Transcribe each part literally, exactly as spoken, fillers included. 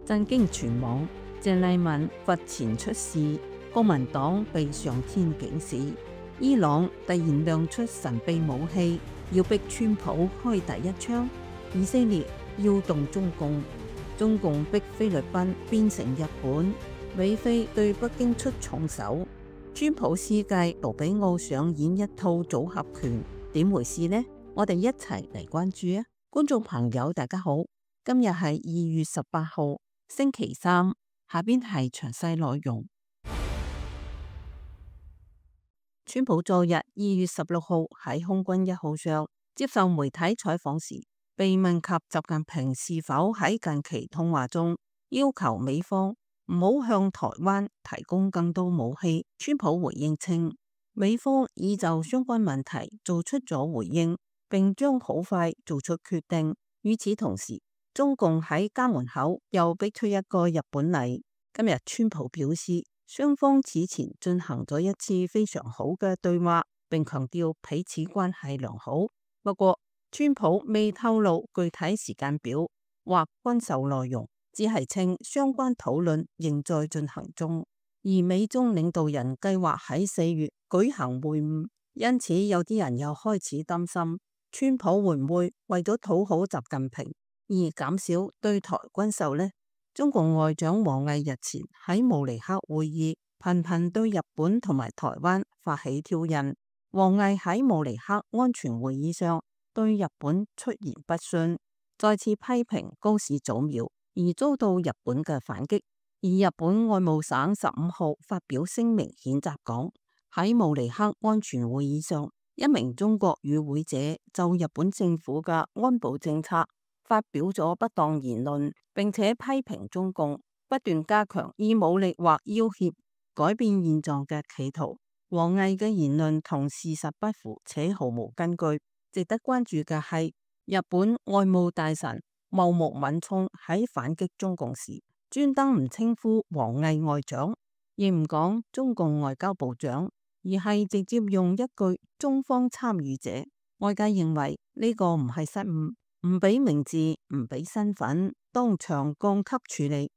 震驚全網。鄭麗文罰錢出事，國民黨被上天警示。伊朗突然亮出神秘武器，要逼川普開第一槍。以色列要動中共，中共逼菲律賓變成日本。美菲對北京出重手，川普施計盧比奧上演一套組合拳，點回事呢？我哋一齊嚟關注啊！觀眾朋友大家好，今日係二月十八號星期三，下邊係詳細內容。川普昨日二月十六號喺空軍一號上接受媒體採訪時，被問及習近平是否喺近期通話中要求美方唔好向台灣提供更多武器，川普回應稱，美方已就相關問題做出咗回應，並將好快做出決定。與此同時，中共喺家門口又逼出一個日本嚟。今日川普表示，雙方此前進行咗一次非常好嘅對話，並強調彼此關係良好。不過，川普未透露具體時間表或軍售內容，只係稱相關討論仍在進行中。而美中領導人計劃喺四月舉行會晤，因此有啲人又開始擔心，川普會唔會為咗討好習近平而減少對台軍售呢？中共外長王毅日前喺慕尼黑會議頻頻對日本同埋台灣發起挑釁。王毅喺慕尼黑安全會議上對日本出言不遜，再次批評高市早苗，而遭到日本嘅反擊。而日本外務省十五號發表聲明譴責講，喺慕尼黑安全會議上，一名中國與會者就日本政府嘅安保政策發表咗不當言論，並且批評中共不斷加強以武力或要挾改變現狀嘅企圖。王毅嘅言論同事實不符，且毫無根據。值得關注嘅係，日本外務大臣茂木敏充喺反擊中共時，專登唔稱呼王毅外長，亦唔講中共外交部長，而係直接用一句中方參與者。外界認為呢個唔係失誤，唔俾名字，唔俾身份，當場降級處理。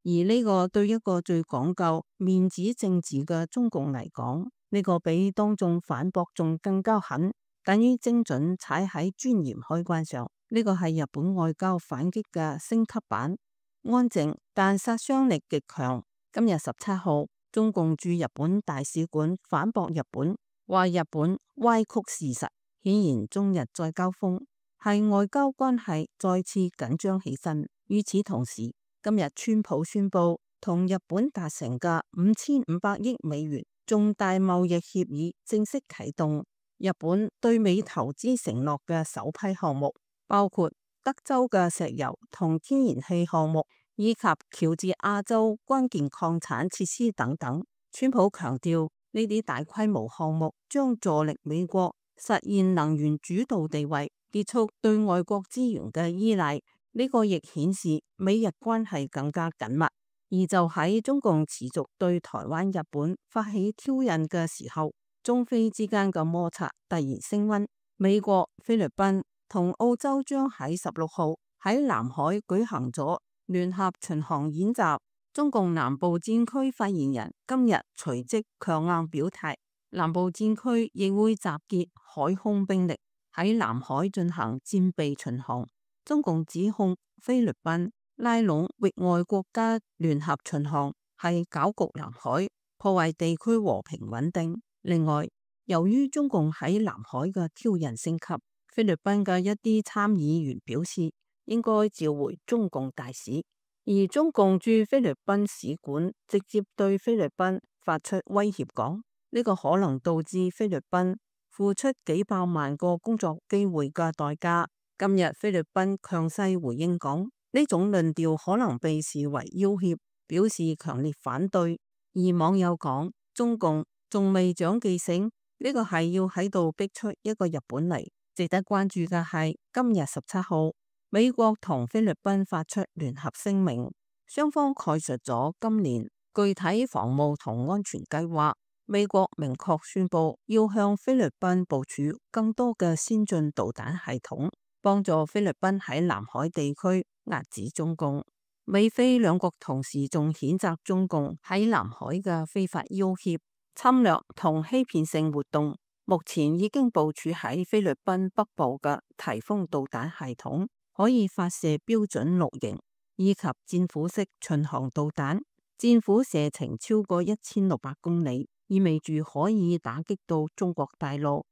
而呢個對一個最講究面子政治嘅中共嚟講，呢個比當眾反駁仲更加狠，等於精準踩喺尊嚴開關上。呢個係日本外交反擊嘅升級版，安靜但殺傷力極強。今日十七號，中共駐日本大使館反駁日本，話日本歪曲事實，顯然中日再交鋒，係外交關係再次緊張起身。與此同時，今日川普宣布同日本達成嘅五千五百億美元重大貿易協議正式啟動。日本對美投資承諾嘅首批項目，包括德州嘅石油同天然氣項目，以及喬治亞州關鍵礦產設施等等。川普強調，呢啲大規模項目將助力美國實現能源主導地位，結束對外國資源嘅依賴。呢個亦顯示美日關係更加緊密。而就喺中共持續對台灣、日本發起挑釁嘅時候，中菲之間嘅摩擦突然升溫。美國、菲律賓同澳洲將喺十六號喺南海舉行咗聯合巡航演習。中共南部戰區發言人今日隨即強硬表態，南部戰區亦會集結海空兵力喺南海進行戰備巡航。中共指控菲律賓拉攏域外國家聯合巡航係攪局南海，破壞地區和平穩定。另外，由於中共喺南海嘅挑釁升級，菲律賓嘅一啲參議員表示應該召回中共大使，而中共駐菲律賓使館直接對菲律賓發出威脅，講呢個可能導致菲律賓付出幾百萬個工作機會嘅代價。今日菲律賓強勢回應講，呢種論調可能被視為要挾，表示強烈反對。而網友講，中共仲未長記性，呢個係要喺度逼出一個日本嚟。值得關注嘅係今日十七號，美國同菲律賓發出聯合聲明，雙方概述咗今年具體防務同安全計劃。美國明確宣布要向菲律賓部署更多嘅先進導彈系統，幫助菲律賓喺南海地區遏止中共。美菲兩國同時仲譴責中共喺南海嘅非法要挾、侵略同欺騙性活動。目前已經部署喺菲律賓北部嘅颱風導彈系統，可以發射標準六型以及戰斧式巡航導彈，戰斧射程超過一千六百公里，意味住可以打擊到中國大陸。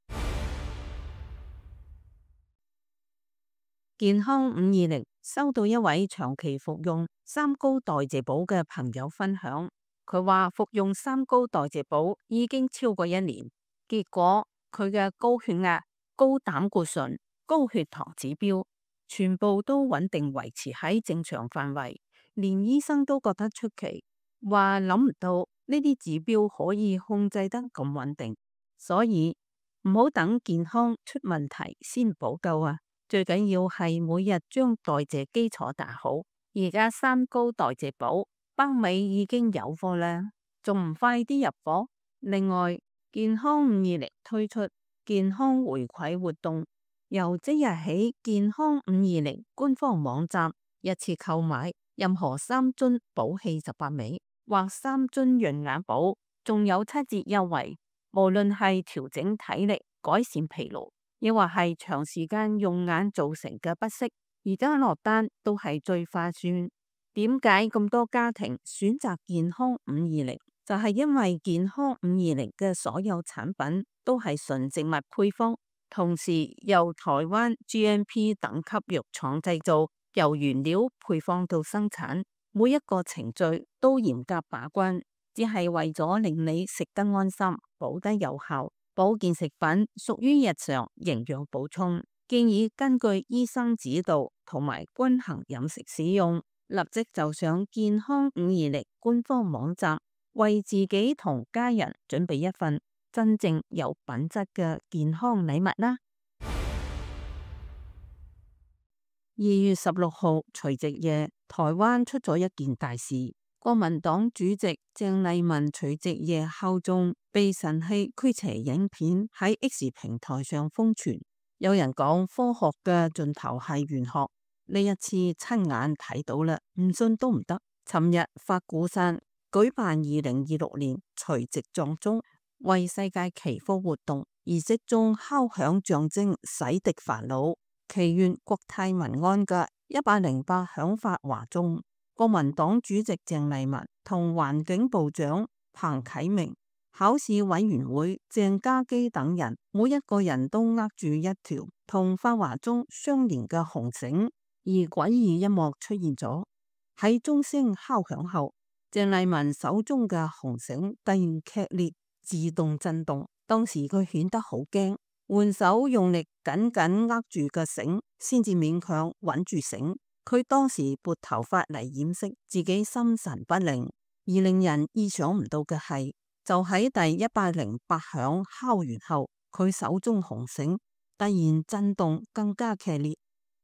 健康五二零收到一位長期服用三高代謝寶嘅朋友分享，佢話服用三高代謝寶已經超過一年，結果佢嘅高血壓、高膽固醇、高血糖指標全部都穩定維持喺正常範圍，連醫生都覺得出奇，話諗唔到呢啲指標可以控制得咁穩定，所以唔好等健康出問題先補救啊！最緊要係每日將代謝基礎打好。而家三高代謝寶北美已經有貨啦，仲唔快啲入貨？另外，健康五二零推出健康回饋活動，由即日起，健康五二零官方網站一次購買任何三樽寶氣十八味或三樽潤眼寶，仲有七折優惠。無論係調整體力、改善疲勞，亦或係長時間用眼造成嘅不適，而家落單都係最划算。點解咁多家庭選擇健康五二零？就係因為健康五二零嘅所有產品都係純植物配方，同時由台灣 G M P 等級藥廠製造，由原料配方到生產，每一個程序都嚴格把關，只係為咗令你食得安心、補得有效。保健食品屬於日常營養補充，建議根據醫生指導同埋均衡飲食使用。立即就上健康五二零官方網站，為自己同家人準備一份真正有品質嘅健康禮物啦！二月十六號除夕夜，台灣出咗一件大事。國民黨主席鄭麗文除夕夜敲鐘被神器驅邪影片喺 X 平台上瘋傳，有人講科學嘅盡頭係玄學，呢一次親眼睇到啦，唔信都唔得。尋日法鼓山舉辦二零二六年除夕撞鐘為世界祈福活動，儀式中敲響象徵洗滌煩惱、祈願國泰民安嘅一百零八響法華鐘。國民黨主席鄭麗文同環境部長彭啟明、考試委員會鄭家基等人，每一個人都握住一條同法華鐘相連嘅紅繩，而詭異一幕出現咗。喺鐘聲敲響後，鄭麗文手中嘅紅繩突然劇烈自動震動，當時佢顯得好驚，換手用力緊緊握住個繩，先至勉強穩住繩。佢當時撥頭髮嚟掩飾自己心神不寧，而令人意想唔到嘅係，就喺第一百零八響敲完後，佢手中紅繩突然震動更加劇烈。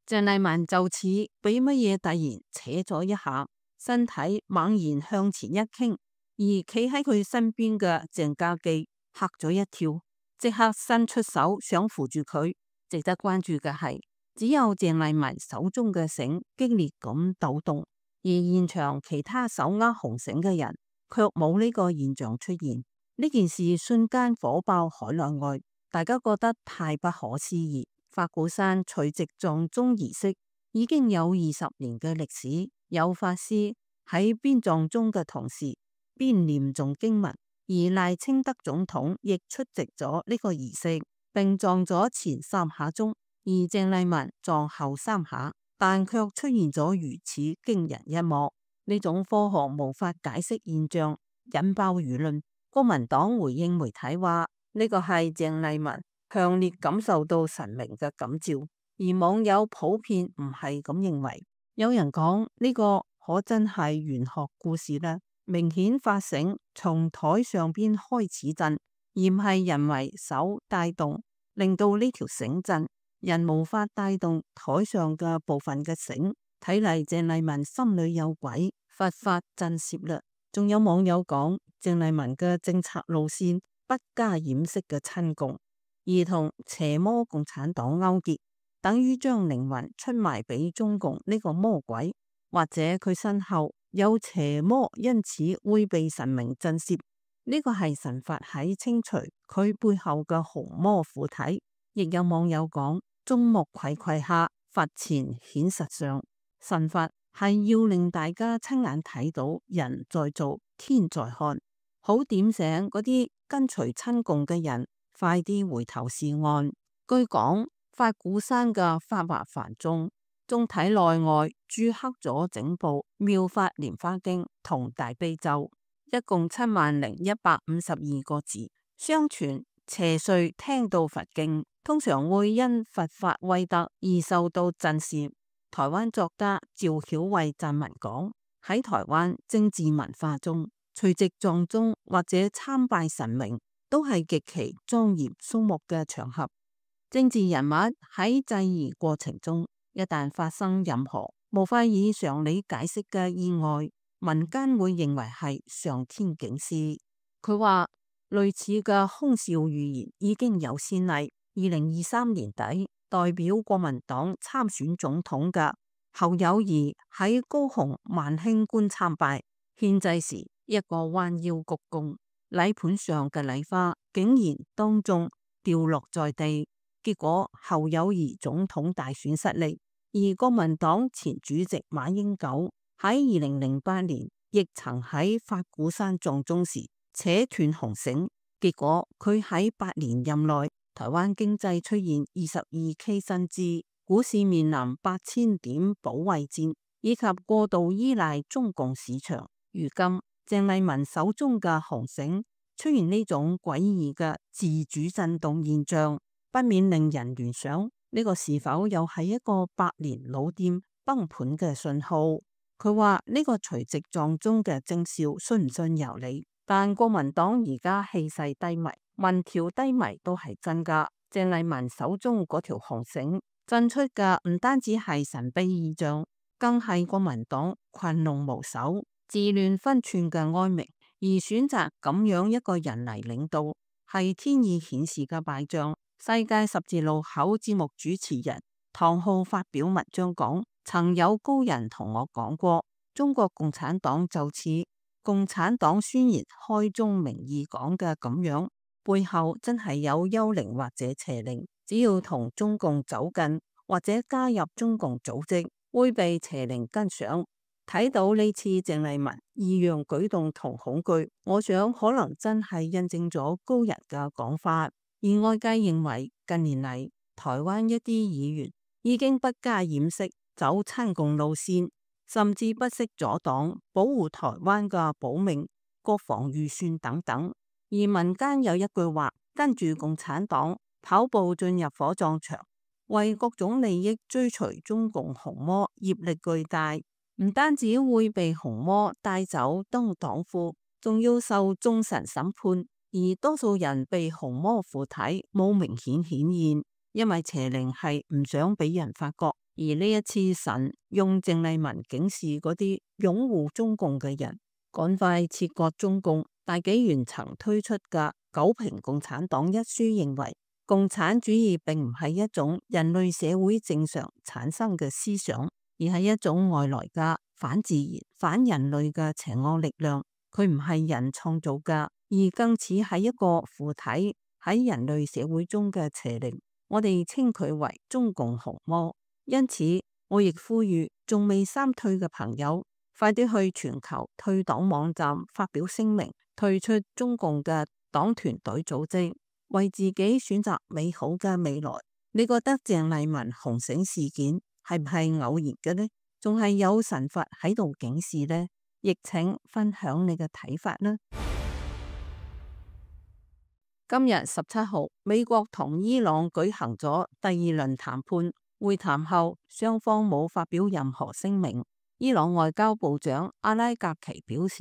鄭麗文就似俾乜嘢突然扯咗一下，身體猛然向前一傾，而企喺佢身邊嘅鄭家基嚇咗一跳，即刻伸出手想扶住佢。值得關注嘅係，只有鄭麗文手中嘅繩激烈咁抖動，而現場其他手握紅繩嘅人卻冇呢個現象出現。呢件事瞬間火爆海內外，大家覺得太不可思議。法鼓山除夕撞鐘儀式已經有二十年嘅歷史，有法師喺邊撞鐘嘅同時邊念誦經文，而賴清德總統亦出席咗呢個儀式，並撞咗前三下鐘。而鄭麗文撞後三下，但卻出現咗如此驚人一幕。呢種科學無法解釋現象引爆輿論。國民黨回應媒體話，呢個係鄭麗文強烈感受到神明嘅感召，而網友普遍唔係咁認為。有人講呢個可真係玄學故事啦，明顯發繩從台上邊開始震，而唔係人為手帶動，令到呢條繩震。人無法帶動台上嘅部分嘅繩，睇嚟鄭麗文心裏有鬼，佛法震懾啦。仲有網友講鄭麗文嘅政策路線不加掩飾嘅親共，而同邪魔共產黨勾結，等於將靈魂出賣俾中共呢個魔鬼。或者佢身後有邪魔，因此會被神明震懾。呢個係神法喺清除佢背後嘅紅魔附體。亦有網友講，眾目睽睽下，佛前顯實相。神法係要令大家親眼睇到人在做，天在看，好點醒嗰啲跟隨親共嘅人，快啲回頭是岸。據講，法鼓山嘅法華梵宗仲體內外注刻咗整部《妙法蓮華經》同大悲咒，一共七萬零一百五十二個字。相傳邪祟聽到佛經，通常會因佛法威德而受到震懾。台灣作家趙曉慧撰文講，喺台灣政治文化中，隨即撞鐘或者參拜神明都係極其莊嚴肅穆嘅場合。政治人物喺祭儀過程中，一旦發生任何無法以常理解釋嘅意外，民間會認為係上天警示。佢話類似嘅空笑預言已經有先例。二零二三年底，代表國民黨參選總統嘅侯友宜喺高雄萬興觀參拜，獻祭時一個彎腰鞠躬，禮盤上嘅禮花竟然當眾掉落在地。結果侯友宜總統大選失利，而國民黨前主席馬英九喺二零零八年亦曾喺法鼓山撞鐘時扯斷紅繩，結果佢喺八年任內，台灣經濟出現二十二 K 新枝，股市面臨八千點保衛戰，以及過度依賴中共市場。如今鄭麗文手中嘅紅繩出現呢種詭異嘅自主震動現象，不免令人聯想呢個是否又係一個百年老店崩盤嘅信號？佢話呢個隨即撞鐘嘅徵兆信唔信由你，但國民黨而家氣勢低迷，民調低迷都係真噶。鄭麗文手中嗰條紅繩震出嘅唔單止係神秘異象，更係國民黨群龍無首、自亂分寸嘅哀鳴。而選擇咁樣一個人嚟領導，係天意顯示嘅敗仗。世界十字路口節目主持人唐浩發表文章講，曾有高人同我講過，中國共產黨就似共產黨宣言開宗明義講嘅咁樣，背後真係有幽靈或者邪靈，只要同中共走近或者加入中共組織，會被邪靈跟上。睇到呢次鄭麗文異樣舉動同恐懼，我想可能真係印證咗高人嘅講法。而外界認為近年嚟台灣一啲議員已經不加掩飾走親共路線，甚至不惜阻擋保護台灣嘅保命、國防預算等等。而民間有一句話，跟住共產黨跑步進入火葬場，為各種利益追隨中共紅魔，業力巨大，唔單止會被紅魔帶走當黨魁，仲要受眾神審判。而多數人被紅魔附體冇明顯顯現，因為邪靈係唔想俾人發覺。而呢一次神用鄭麗文警示嗰啲擁護中共嘅人，趕快切割中共。大紀元曾推出嘅《九評共產黨》一書認為，共產主義並唔係一種人類社會正常產生嘅思想，而係一種外來嘅反自然、反人類嘅邪惡力量。佢唔係人創造嘅，而更似係一個附體喺人類社會中嘅邪靈。我哋稱佢為中共紅魔。因此，我亦呼籲仲未三退嘅朋友，快啲去全球退黨網站發表聲明，退出中共嘅黨團隊組織，為自己選擇美好嘅未來。你覺得鄭麗文紅繩事件係唔係偶然嘅呢？仲係有神法喺度警示呢？亦請分享你嘅睇法啦。今日十七號，美國同伊朗舉行咗第二輪談判，會談後雙方冇發表任何聲明。伊朗外交部長阿拉格奇表示，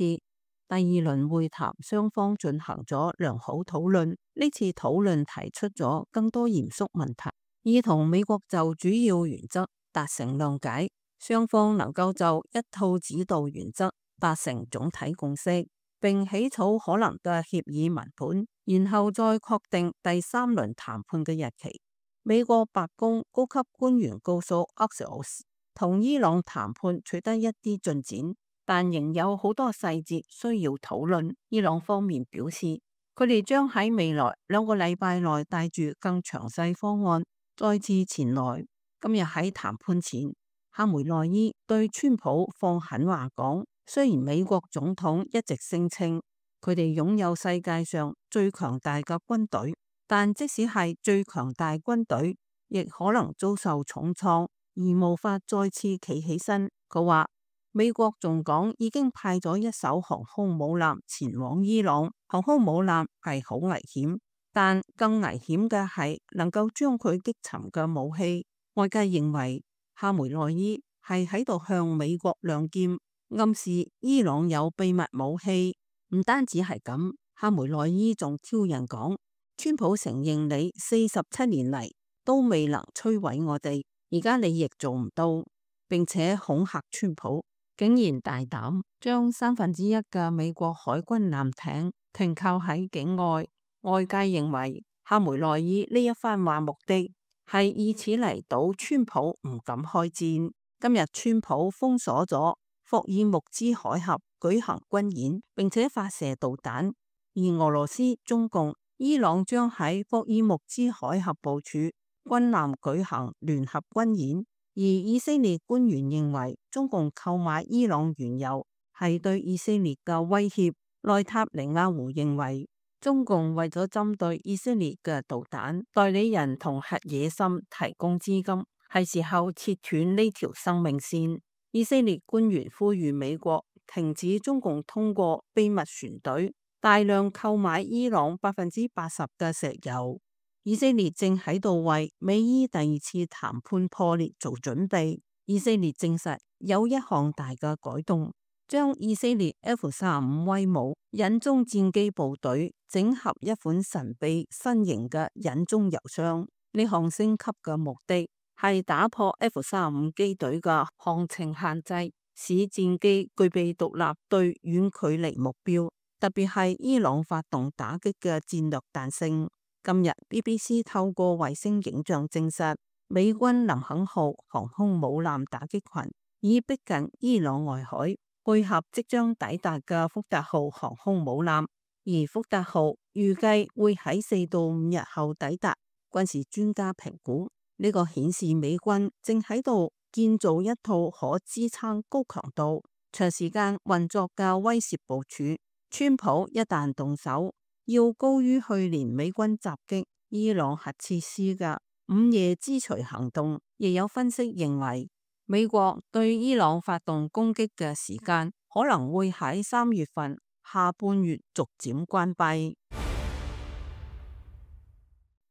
第二輪會談雙方進行咗良好討論，呢次討論提出咗更多嚴肅問題，以同美國就主要原則達成諒解，雙方能夠就一套指導原則達成總體共識，並起草可能嘅協議文本，然後再確定第三輪談判嘅日期。美國白宮高級官員告訴 Axios，同伊朗談判取得一啲進展，但仍有好多細節需要討論。伊朗方面表示，佢哋將喺未來兩個禮拜內帶住更詳細方案再次前來。今日喺談判前，哈梅內伊對川普放狠話講，雖然美國總統一直聲稱佢哋擁有世界上最強大嘅軍隊，但即使係最強大軍隊，亦可能遭受重創而無法再次企起身。佢話美國仲講已經派咗一艘航空母艦前往伊朗，航空母艦係好危險，但更危險嘅係能夠將佢擊沉嘅武器。外界認為哈梅內伊係喺度向美國亮劍，暗示伊朗有秘密武器。唔單止係咁，哈梅內伊仲挑釁講，川普承認你四十七年嚟都未能摧毀我哋，而家你亦做唔到，並且恐嚇川普，竟然大膽將三分之一嘅美國海軍艦艇停靠喺境外。外界認為哈梅內伊呢一番話目的係以此嚟賭川普唔敢開戰。今日川普封鎖咗霍爾木茲海峽舉行軍演，並且發射導彈，而俄羅斯、中共、伊朗將喺霍爾木茲海峽部署軍艦舉行聯合軍演。而以色列官員認為中共購買伊朗原油係對以色列嘅威脅。內塔尼亞胡認為中共為咗針對以色列嘅導彈代理人同核野心提供資金，係時候切斷呢條生命線。以色列官員呼籲美國停止中共通過秘密船隊大量購買伊朗百分之八十嘅石油。以色列正喺度為美伊第二次談判破裂做準備。以色列證實有一項大嘅改動，將以色列 F 三十五威武隱蹤戰機部隊整合一款神秘新型嘅隱蹤油箱。呢項升級嘅目的係打破 F 三十五機隊嘅航程限制，使戰機具備獨立對遠距離目標，特別係伊朗發動打擊嘅戰略彈性。今日 B B C 透過衛星影像證實，美軍林肯號航空母艦打擊群已逼近伊朗外海，配合即將抵達嘅福特號航空母艦，而福特號預計會喺四到五日後抵達。軍事專家評估，呢個顯示美軍正喺度建造一套可支撐高強度、長時間運作嘅威懾部署。川普一旦動手，要高於去年美軍襲擊伊朗核設施嘅午夜之錘行動。亦有分析認為，美國對伊朗發動攻擊嘅時間可能會喺三月份下半月逐漸關閉。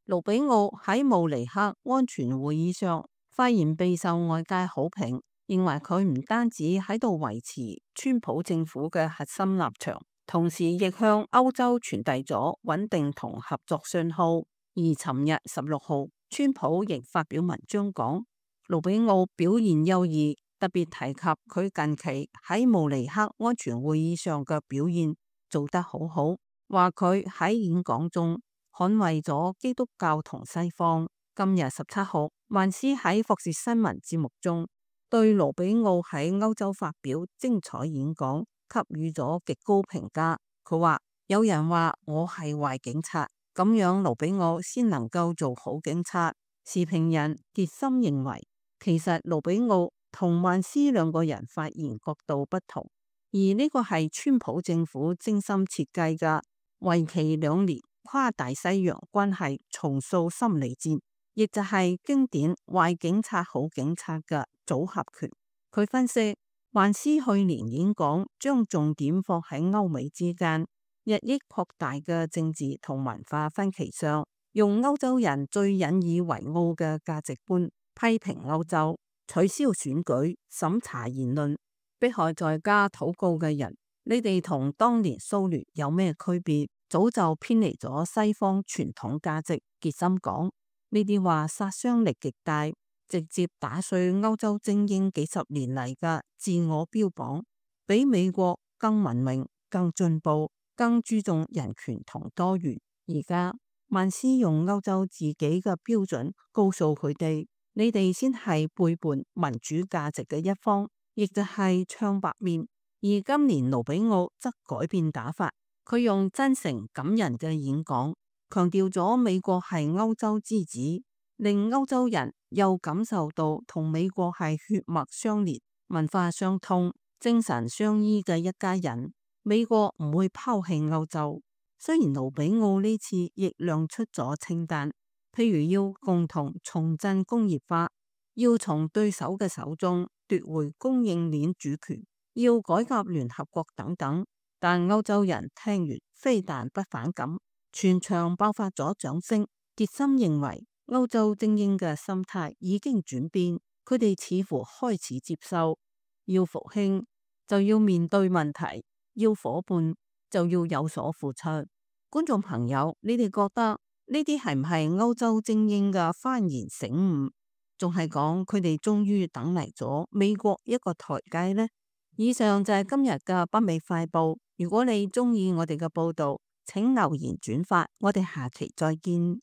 盧比奧喺慕尼黑安全會議上發言備受外界好評，認為佢唔單止喺度維持川普政府嘅核心立場，同時亦向歐洲傳遞咗穩定同合作信號。而尋日十六號，川普亦發表文章講，盧比奧表現優異，特別提及佢近期喺慕尼黑安全會議上嘅表現做得好好，話佢喺演講中捍衛咗基督教同西方。今日十七號，曼斯喺霍士新聞節目中對盧比奧喺歐洲發表精彩演講給予咗極高評價。佢話有人話我係壞警察，咁樣盧比奧先能夠做好警察。時評人傑森認為，其實盧比奧同曼斯兩個人發言角度不同，而呢個係川普政府精心設計嘅為期兩年跨大西洋關係重塑心理戰，亦就係經典壞警察好警察嘅組合拳。佢分析，曼斯去年演講將重點放喺歐美之間日益擴大嘅政治同文化分歧上，用歐洲人最引以為傲嘅價值觀批評歐洲，取消選舉、審查言論、迫害在家禱告嘅人。你哋同當年蘇聯有咩區別？早就偏離咗西方傳統價值。傑森講，呢啲話殺傷力極大，直接打碎歐洲精英幾十年嚟嘅自我標榜，比美國更文明、更進步、更注重人權同多元。而家曼斯用歐洲自己嘅標準告訴佢哋，你哋先係背叛民主價值嘅一方，亦就係唱白面。而今年盧比奧則改變打法，佢用真誠感人嘅演講，強調咗美國係歐洲之子，令歐洲人又感受到同美國係血脈相連、文化相通、精神相依嘅一家人。美國唔會拋棄歐洲。雖然盧比奧呢次亦亮出咗清單，譬如要共同重振工業化，要從對手嘅手中奪回供應鏈主權，要改革聯合國等等，但歐洲人聽完非但不反感，全場爆發咗掌聲。傑森認為歐洲精英嘅心態已經轉變，佢哋似乎開始接受，要復興就要面對問題，要夥伴就要有所付出。觀眾朋友，你哋覺得呢啲係唔係歐洲精英嘅幡然醒悟？仲係講佢哋終於等嚟咗美國一個台階呢？以上就係今日嘅北美快報。如果你中意我哋嘅報道，請留言轉發，我哋下期再見。